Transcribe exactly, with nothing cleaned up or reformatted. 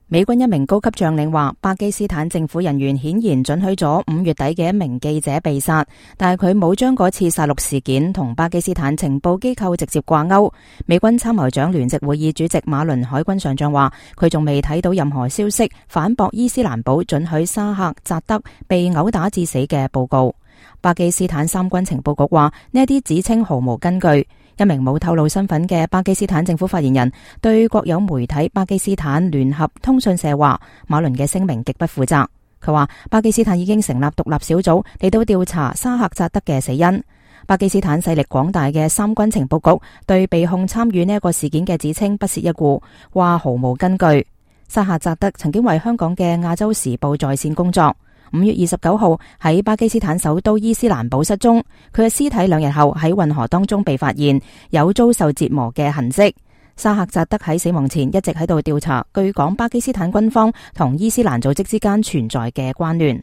美軍一名高級將領話，巴基斯坦政府人員顯然准許咗五月底嘅一名記者被殺，但係佢冇將嗰次殺戮事件同巴基斯坦情報機構直接掛鈎。美軍參謀長聯席會議主席馬倫海軍上將話，佢仲未睇到任何消息反駁伊斯蘭堡准許沙赫扎德被毆打致死嘅報告。巴基斯坦三軍情報局話，呢一啲指稱毫無根據。一名冇透露身份嘅巴基斯坦政府發言人對國有媒體巴基斯坦聯合通訊社話，馬倫嘅聲明極不負責。佢話巴基斯坦已經成立獨立小組嚟到調查沙赫扎德嘅死因。巴基斯坦勢力廣大嘅三軍情報局對被控參與呢一個事件嘅指稱不屑一顧，話毫無根據。沙赫扎德曾經為香港嘅亞洲時報在線工作。五月二十九號喺巴基斯坦首都伊斯蘭堡失蹤，佢嘅屍體兩日後喺運河當中被發現，有遭受折磨嘅痕跡。沙赫扎德喺死亡前一直喺度調查，據講巴基斯坦軍方同伊斯蘭組織之間存在嘅關聯。